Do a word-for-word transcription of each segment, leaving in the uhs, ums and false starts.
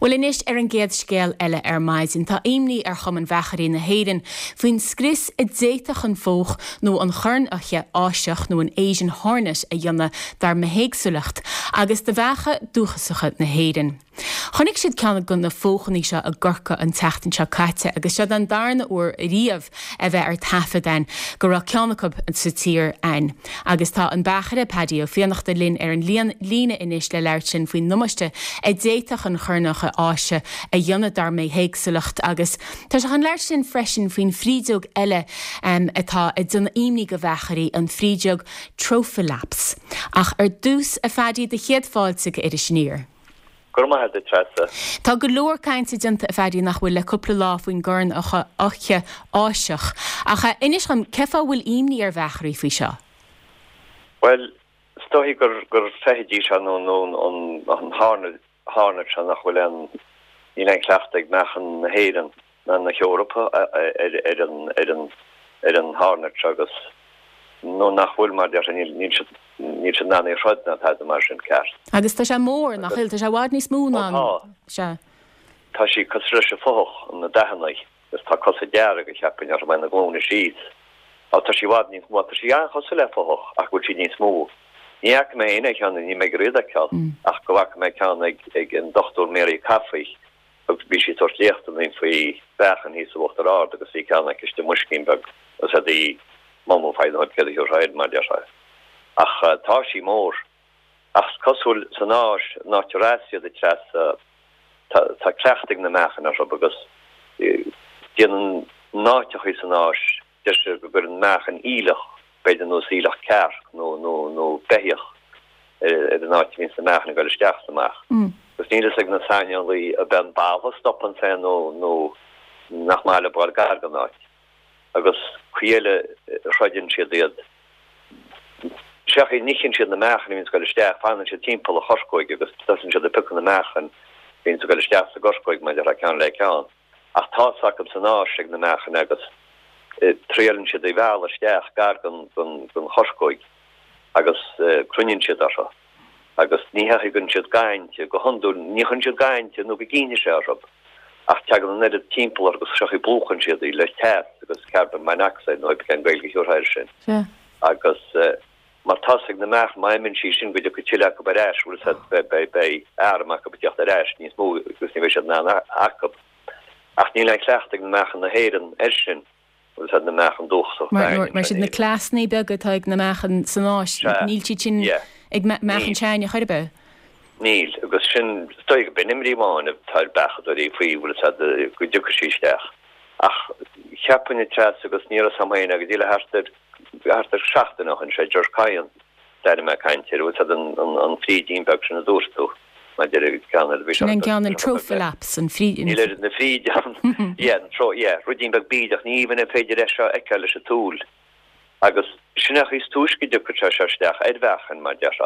Bhuel anois ar an gcéad scéal eile ar maidin tá imní ar Chumann Bheachairí na hÉireann faoin scrios a d'fhéadfadh an fothach nó an chornfhoiche Áiseach nó an Asian Hornet a dhéanamh dár mbithéagsúlacht agus do bheacha dúchasacha na hÉireann. Chonaic siad ceann de na fothanna seo i gCorcaigh an tseachtain seo caite agus seo an darna huair riamh a bheith ar taifead ann go raibh ceann acu sa tír ann. Agus tá an beachaire Paddy Ó Fiannachta linn ar an líon líne anois le labhairt linn faoin ndamáiste a d'fhéadfadh an chornfhoiche Áise a dhéanamh dár mbithéagsúlacht agus tá sé chun labhairt linn freisin faoin frídeog eile um, atá ag déanamh imní do bheachairí an frídeog Trophelops. Ach ar dtús a Phaddy do chéad fáilte go Iris Aniar. Gur maith a Treasa. Tá go leor cainte déanta a Phaddy nach bhfuil le cúpla lá faoin gcornfhoiche Áiseach. Ach inis dom cén fáth a bhfuil imní ar bheachairí faoi seo. Well, is dóigh gur gur feithidí seo nó nó an an hornet hornet seo nach bhfuil an níl aon chleachtadh ag meachain na hÉireann ná na hEorpa ar ar an ar an ar an hornet seo agus nó nach bhfuil mar deir níl níl siad níl siad in ann é throid ná tada mar sin ceart. Agus tá sé mór nach bhfuil tá sé i bhfad níos mó ná tá. sé. Tá sí cosúil leis an fothach na dathanna agus tá cosa dearga cheapfainn ar na glúine síos. Á tá sí i bhfad níos mó tá sí an-chosúil le fothach ach bhfuil sí níos mó. Ní fhaca mé aon cheann ní mé ag ceall ach go bhfaca mé ceann ag ag an Dr Mary Caffey agus bhí sí ag tabhairt léachtanna faoi bheachan thíos in Uachtar Ard agus bhí ceann aici istigh i mboiscín beag agus a dí mumú feid cé mar deir sé. Ach uh, tá sí mór ach cosúil san Áis ná siad a Treasa tá tá cleachtadh ag na meachain orthu agus déanann náiteachaí san Áis deir sé go gcuireann meachain aoileach b'fhéidir nó aoileach cearc nó nó nó beithíoch ar an áit bhíonn na meachain ag dul isteach sa amach. Agus níl ag na saineolaí a ben ball stopann sé nó nó nach maith le ball gar don áit. Agus chuile throideann siad iad. Seach níchin siad na meachain bhíonn ag dul isteach fanann siad timpeall an chorcóig agus tosaíonn siad ag piocadh na meachain bhíonn ag dul isteach sa gcorcóig mar a ceann le ceann. Ach tá acu san Áis ag na meachain agus triaileann siad í bheal isteach gar don don don chorcóig agus cruinníonn siad orthu. Agus ní thugann siad gainte go hiondúil ní chuireann siad gainte nó go gcinnte sé orthu. Ach teagann an oiread timpeall agus seochaí plúchann siad í le teas agus carbon monoxide nó an Gaeilge thiúrtha sin. Agus mar tá ag na meach maimon sí sin go go tuile acu ar ais bhfuil be be arm acu teacht ar ais níos mó agus ní bheidh siad in ann acu. Ach níl aon chleachtadh ag na meachain na hÉireann air sin bhfuil siad na meachain dúchasach. Mar mar siad na cleasanna beaga atá ag na meachain san Áis níl siad sin ag meachain seine churbe. Níl agus sin stoigh bin imrí amháin tá beachadóirí faoi bhfuil siad go dtiocfaidh sí isteach. Ach cheapfainn a Treasa agus ní raibh sam féin agus díle thart ar thart ar seachtain ó shin sé George Cain d'airigh mé caint air bhfuil siad an an an frídín beag sin a dúirt tú maidir le ceann ar bhí Sin an ceann an Trophelops an fríd Níl ar na fríd yeah an tro yeah rudín beag bídeach ní even an féidir é seo a fheiceáil leis an tsúil. Agus sin ach is túisce go dtiocfaidh sé seo isteach ar mheachain mar deir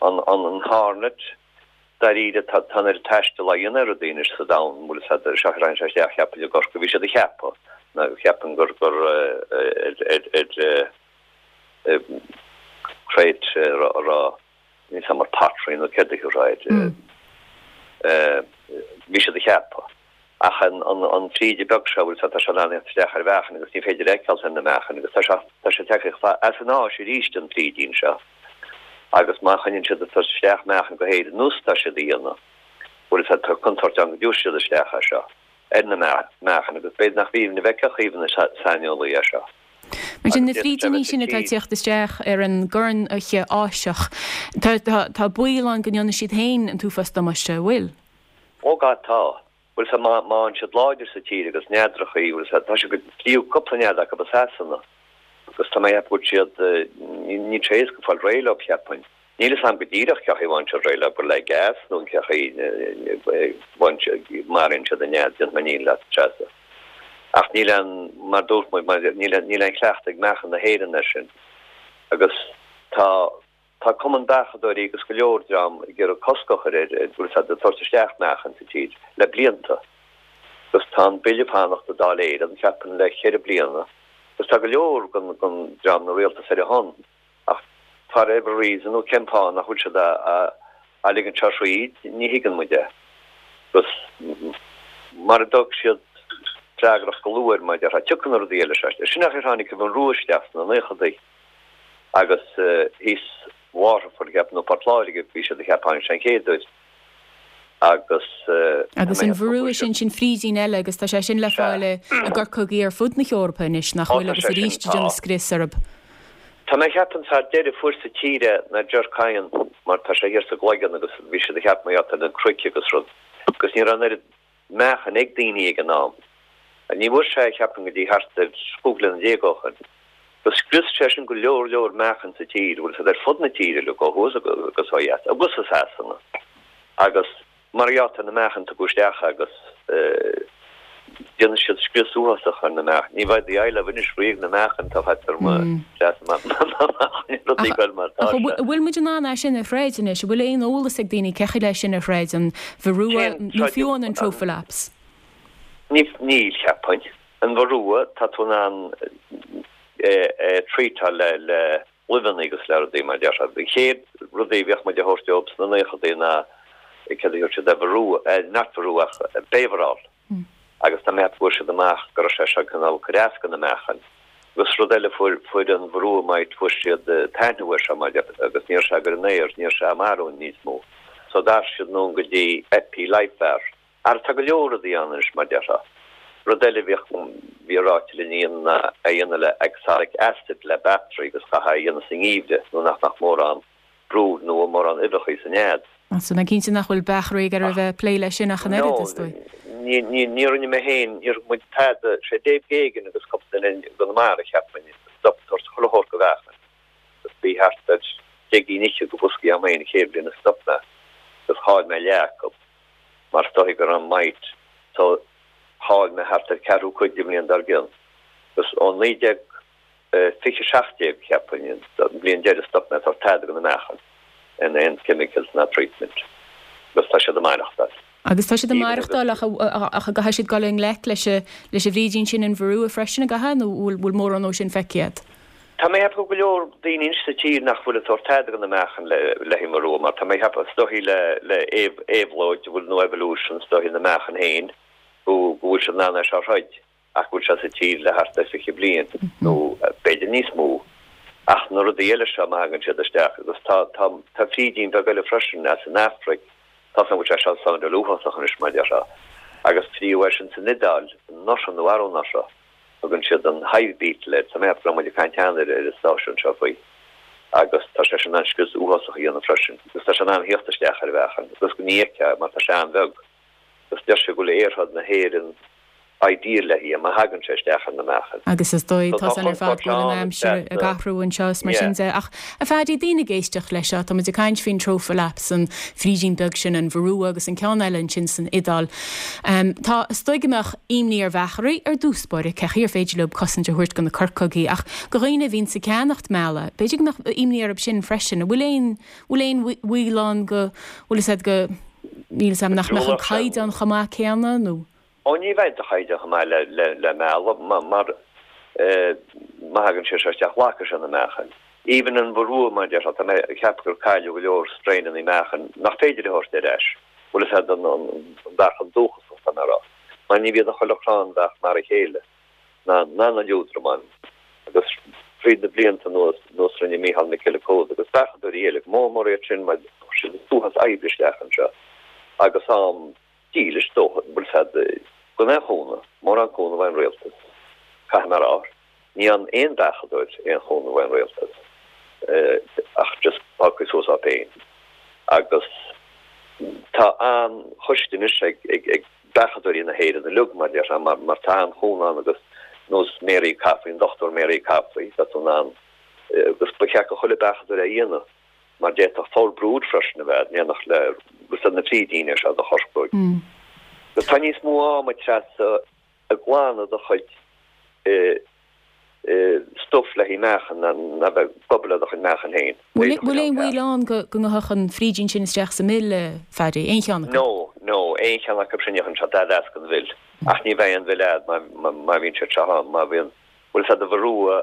an an an hornet dáiríre tá tá ar taisteal a dhéanamh ar daoine sa domhan bhfuil siad seo rain sé isteach cheapfainn i gCorcaigh bhí siad a cheapadh na cheapann gur gur ar ar ar crate rá ní sam mar pottery nó céard a ráid bhí siad a cheapadh ach an an an fríde beag seo bhfuil tá sé in isteach ar mheachain agus ní féidir fheiceáil na meachain agus tá sé tá sé tagtha as an Áis arís an frídín seo agus má choinníonn siad ag isteach meachain go hÉirinn nós tá siad a dhéanamh bhfuil siad tá contúirt ann go dtiúrfaidh siad isteach é seo ar na meachain agus b'fhéidir nach bhíonn na bhfeicfeadh na saineolaí é seo. Mar sin na frídíní sin atá teacht isteach ar an gcornfhoiche Áiseach Tá tá tá baol ann go ndéanfaidh siad féin an t-uafás damáiste bhfuil. Ó gá tá bhfuil sa má má siad láidir sa tír agus neadrachaí bhfuil sa tá sé go tríú cúpla nead acu i Sasana agus tá mé ag siad ní tréis go fáil réidh leo cheapfainn. Níl a fhios agam go díreach cén chaoi a bhfaigheann siad réidh leo gur le gas nó cén chaoi maraíonn siad an nead déanfaidh mé ní leat Treasa. Ach níl an mar dúirt muid níl níl aon chleachtadh ag meachain na hÉireann air sin. Agus tá tá cumann beachadóirí agus go leor dream ag iarraidh cosc a chur ar bhfuil siad ag tabhairt isteach meachain sa tír le blianta. Agus tá an bille fanacht i Dáil Éireann cheapfainn le ceithre bliana. Agus tá go leor gon gon dream na rialtas ar a shon ach for every reason nó cén fáth nach bhfuil siad a a a ligean seo thríd ní thuigeann muid é. Agus Mara dtóg siad freagracht go luath air, mar a déarfá, tiocfaidh na rudaí eile seo. Sin an chaoi ar tháinig an Varroa isteach sna naochadaí agus thíos Waterford, ceapaim, nó Port Láirge, bhí siad a cheapadh tháinig sé an chéad uair agus Agus an Varroa sin sin frídín eile agus tá sé sin le fáil i gcorcógaí ar fud na hEorpa anois nach bhfuil agus arís ag déanamh scrios orthu. Tá mé ag ceapadh an fear deiridh fuair sa tír é ná Ger Kyan mar tá sé thiar sa gCloigeann agus bhí siad ag ceapadh mar gheall ar an cnoic agus rud agus ní raibh an oiread meáchain ag daoine ag an am. Ní bhfuair sé cheapfainn go dtí thart ar chúig bliana déag ó shoin. Agus scrios sé sin go leor leor meáchan sa tír, bhfuil siad ar fud na tíre uilig, ó thuaidh agus ó dheas, agus i Sasana. Agus mar gheall ar na meáchain tugadh isteach agus déanann siad scrios uafásach ar na meáchain. Ní bheidh do éileamh anois riamh na meáchain atá faighte ar mo rudaí goil mar atá sé. An bhfuil muid in ann é sin a throid anois? An bhfuil aon eolas ag daoine cén chaoi le sin a throid, an Varroa nó fiú amháin an Trophelops? Níl, cheapfainn. An Varroa, tá tú in ann é treatáil le le luibheanna agus le rudaí mar déarfá. An chéad rudaí a bhíodh muid a thabhairt dóibh sna naochadaí ná céard a thabhairt siad Varroa, not Varroa ach Bayvarol. Agus tá mé ag ceapadh go bhfuair siad amach go raibh sé seo cineál cur as do na meáchain. Agus rud eile fuair fuair an Varroa mite fuair siad taitneamh air seo mar déarfá agus ní raibh sé ag cur an aer, ní raibh sé ag marú níos mó. So d'athraigh siad anonn go dtí Epi Life Var. Ara tá go leor rudaí ann anois mar déarfá. Rud eile a bhíodh, bhí ráite linn ná é a dhéanamh le oxalic acid le battery agus chaithfeá é a dhéanamh sa ngeimhreadh nó nach mbeadh mórán brood nó mórán uibheacha sa nead. So mé cinnte nach bhfuil beachairí ag iarraidh a bheith ag plé leis sin ach an oiread, is dóigh. Ní, ní, ní rinne mé féin, níor thug muid tada, sé Dave Geoghegan agus cúpla duine i gConamara cheapfainn a stop ag tabhairt chuile shórt do mheáchain agus bhí thart ar deich gcinn fhichead de bhoscaí agam féin an chéad bhliain a stop mé agus chaill mé leath acu. Mar is dóigh go raibh an mite so chaill mé thart ar ceathrú cuid an bhliain dár gcionn. Agus ó naoi déag fiche seacht déag, cheapfainn, an bhliain deiridh stop mé ag tabhairt tada do na meáchain in aon chemicals ná treatment. Agus tá siad ag maireachtáil. Agus tá siad ag maireachtáil ach ach an gcaithfidh siad dul i ngleic leis leis an bhfrídín sin an Varroa freisin an gcaithfidh nó bhfuil bhfuil mórán dó sin feicthe agat? Tá mé ag ceapadh go leor daoine anois sa tír nach bhfuil ag tabhairt tada do na meáchain le le haghaidh Varroa mar tá mé ag ceapadh is dóichí le le éabhlóid a bhfuil nó evolution is dóichí na meáchain féin go go bhfuil siad in ann é seo a throid ach go bhfuil sé sa tír le thart ar fiche bliain nó b'fhéidir níos mó ach na rudaí eile seo má thagann siad isteach agus tá tá tá frídín beag eile freisin as an Afraic tá an bhfuil sé seo soundáil uafásach anois mar déarfá agus fríodh é sin san Iodáil anuraidh nó arú-anuraidh. Tugann siad an hive beetle air. Tá mé ag ceapadh go raibh muid ag caint cheana ar an stáisiún seo faoi. Agus tá sé sin in ann scrios uafásach a dhéanamh freisin. Agus tá sé in ann theacht isteach ar mheáchan agus go ní fheicfeá é mar tá sé an-bheag. Agus deir sé go bhfuil aerthod na hÉireann ideal le haghaidh má thagann sé isteach ar na meáchain. Agus is dóigh So tá tá san ar fad chontúirt go bhfuil an ann aimsir ag feasta. athrú anseo is mar Yeah. sin de. Ach a Phaddy, daoine ag éisteacht leis seo, tá muid ag caint faoin Trophelops, an frídín beag sin, an Varroa agus an ceann eile ansin san Iodáil. Tá, is dóigh go mbeadh imní ar bheachairí ar dtús báire, cé chaoi ar féidir leo cosaint a thabhairt do na corcógaí, ach do dhaoine a bhíonns ag ceannacht meala, b'fhéidir go mbeadh imní orthu sin freisin. An bhfuil aon, bhfuil aon bhaol ann go, bhfuil fhios a'd go, níl fhios a'm, nach mbeadh an caighdeán chomh maith céanna nó? Ó ní bheidh do chaighdeán chomh maith le, le, le meala mar, má thagann sé seo isteach glacfaidh sé na meáchain. Even an Varroa mar a déarfá, tá mé ag ceapadh gur cailleadh go leor strainanna meáchain nach féidir a thabhairt ar ais. Bhfuil fhios a'd an mheáchan dúchasach tá mé a rá. Mar ní bhíonn chuile chrann beach mar a chéile, ná ná na liúdramáin. Agus fríd na blianta anuas, nós rinne Mícheál Mac Giolla Chód agus beachadóirí eile, go mór mór iad sin mar chuir siad an t-uafás oibre isteach anseo agus am dílis dóthain, bhfuil fhios a'd, gan aon chúnamh, mórán cúnamh ón rialtas, caithfidh mé a rá. Ní fhaigheann aon bheachadóir aon chúnamh ón rialtas ach just fágtha suas á féin. Agus tá an-choiste anois ag ag beachadóirí na hÉireann uilig mar déarfá mar mar tá an-chúnamh ann agus nós Mary Coffey, an Dochtúir Mary Coffey, tá tú in ann agus ba cheart do chuile beachadóir é a dhéanamh mar d'fhéadfadh foul brood freisin a bheith in éineacht le bhfuil fhios a'd na frídíní seo do chorcóig. Agus tá níos mó ama treasa ag glanadh do chuid stuif le haghaidh meáchan ná bheith ag obair le do chuid meáchan féin. Bhfuil aon bhaol ann go ngabhfadh an frídín sin isteach sa mhil, a Phaddy? Aon cheann acu? No, no, aon cheann acu sin ní ghabhann sé dada as don mhil. Ach ní bheidh aon mhil a'd má bhíonn siad seo ann, má bhíonn, bhfuil fhios a'd an Varroa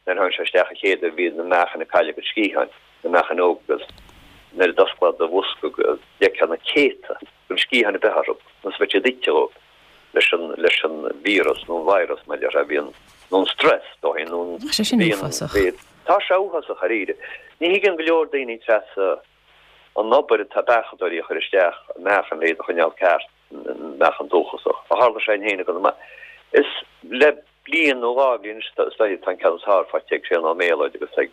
nuair a thagann sé isteach an chéad uair bhíonn na meáchain ag cailleadh a gcuid sciatháin, na meáchain óga agus nuair a d'osclófá do bhosca d'fheicfeá na céadta gan sciatháin ar bith orthu, nós bheadh siad ite dhóibh. leis an leis an víreas nó an virus mar a bhíonn nó an stress dóthain nó Tá sé sin uafásach. Tá sé uafásach dáiríre. Ní thuigeann go leor daoine Treasa an obair atá beachadóirí a chur isteach meáchan le iad a choinneáil ceart meáchan dúchasach. A tharla sé féin go maith. Is le bliain nó dhá bhliain is tá an ceann is fearr faighte ag Séan Ó Méalóid agus ag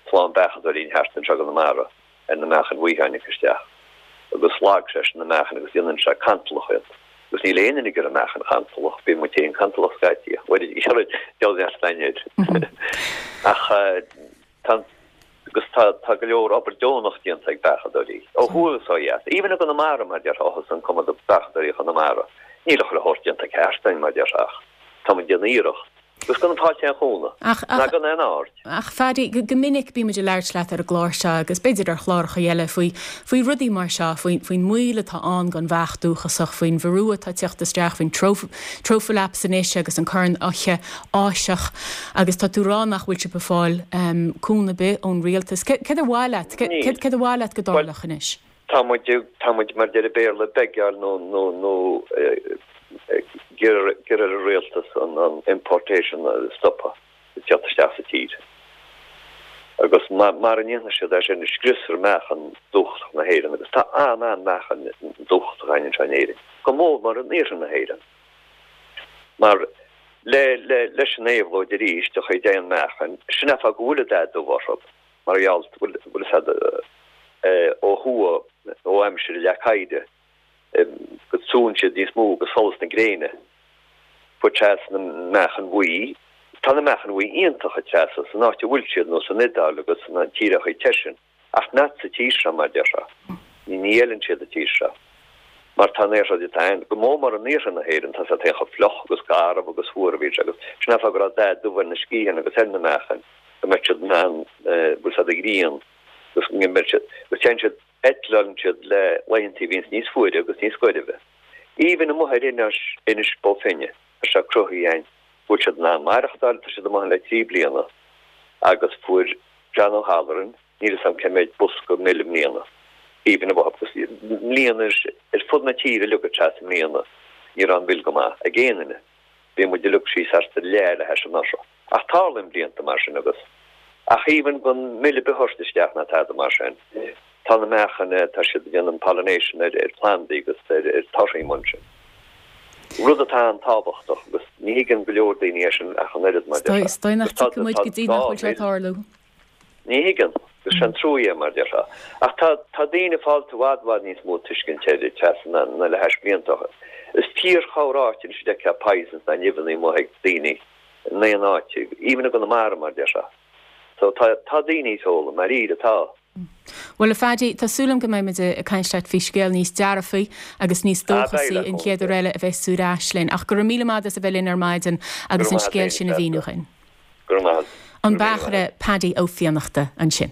clann beachadóirí thart anseo i gConamara ar na meáchain bhuí a tháinig isteach agus shlog sé sin na meáchain agus déanann sé cantalach iad. Agus níl aon duine ag iarraidh meáchan chantalach, bíonn muid féin cantalach scaití, bhuel deabhal neart air. Ach tá agus tá tá go leor obair deonach déanta ag beachadóirí ó thuaidh is ó dheas. Even i gConamara mar déarfá agus an cuma do beachadóirí Chonamara. Níl a chuile shórt déanta ceart againn mar déarfá ach tá muid ag déanamh iarracht. Agus gan fáilte aon chúnamh. Ach, Ná ach, gan aon aird. ach Phaddy, go, go minic bímid ag labhairt leat ar an gclár seo agus b'fhéidir ar chláracha eile faoi, faoi rudaí mar seo, faoin, faoin mbaol atá ann don bheach dúchasach, faoin mharú atá ag teacht isteach, faoin troph, trophaelaps anois agus an corn-fhoiche Áiseach agus tá tú ag rá nach bhfuil sibh ag fáil um, cúnamh ar bith ón rialtas. Cé- Céard ar mhaith leat? Cé- Níl. Céard céard ar mhaith leat go Well, dtarlódh anois? Tá muid tá muid mar deir an Béarla begáil nó nó nó gur ar an rialtas an an importation a stopadh teacht isteach sa tír. Agus mar mar a ndéanann siad é sin scriosfar meáchan dúchasach na hÉireann agus tá an an meáchan dúchasach againn anseo in Éirinn. Go mór mór in iarthar na hÉireann. Mar le le leis an éabhlóid arís do chuid aon meáchan, sin é go bhfuil dath dubh orthu mar gheall bhfuil bhfuil siad ó thuaidh ó aimsir le caide go súnn siad níos mó go solas na gréine. Fuair na meáchan bhuí, Tá na meáchan bhuí iontach a Treasa san áit a bhfuil siad nó san Iodáil agus na tíortha te sin, ach not sa tír seo mar déarfá. Ní ní fheileann siad an tír seo. Mar tá néir tá go mór mór in iarthar na hÉireann tá sé chomh fliuch agus garbh agus fuar bhí agus sin go raibh dath dubh ar na sciatháin agus ar na meáchain go mbeadh siad man bhfuil siad ag grian agus go mbeadh siad agus téann siad eitleálann siad le laethanta bhíonns níos fuaire agus níos gairbhe. Even amuigh ar Inis Inis Bó Finne tá sé cruthaithe bhfuil siad ná maireachtáil tá siad amuigh le trí bliana agus fuair John O'Halloran níl a fhios agam cé mhéad bosca mil i mbliana. Even amuigh agus mbliana ar fud na tíre luga teas i mbliana ní raibh an mhil go maith ag aon duine. Bhí muid uilig síos thart ar leath le hais an seo. Ach tarlaíonn blianta mar sin agus ach even gan mil ar bith a thabhairt isteach ná tada mar sin. Tá na meáchan tá siad ag déanamh pollination ar ar plandaí agus ar ar torthaí mar sin. Rud atá an-tábhachtach agus ní thuigeann go leor daoine é sin ach an oiread mar déarfá. Is dóigh nach Agus tá- dtiocfaidh muid tá go dtí nach bhfuil sé dhá tarlú. Ní thuigeann agus sin trua mar déarfá. Ach tá tá daoine fáilte bhfad bhfad níos mó tuiscint ar Treasa na na le hais blianta. Is fíorchomhráite si de poisons na nimhní mo ag daoine in aon áit, even i gConamara mar déarfá. So tá tá daoine tóla mar iad atá. Well a Phaddy, tá súil agam go mbeimid ag caint leat faoi scéal níos dearfaí agus níos Ah, dóchasaí beidh le an chéad uair eile a bheas tú ar ais linn, ach go raibh míle maith as a bheith linn ar maidin agus Go an raibh maith scéal agat, sin a mhíniú dúinn. Go raibh maith. An Go raibh míle maith. beachaire Paddy Ó Fiannachta ansin.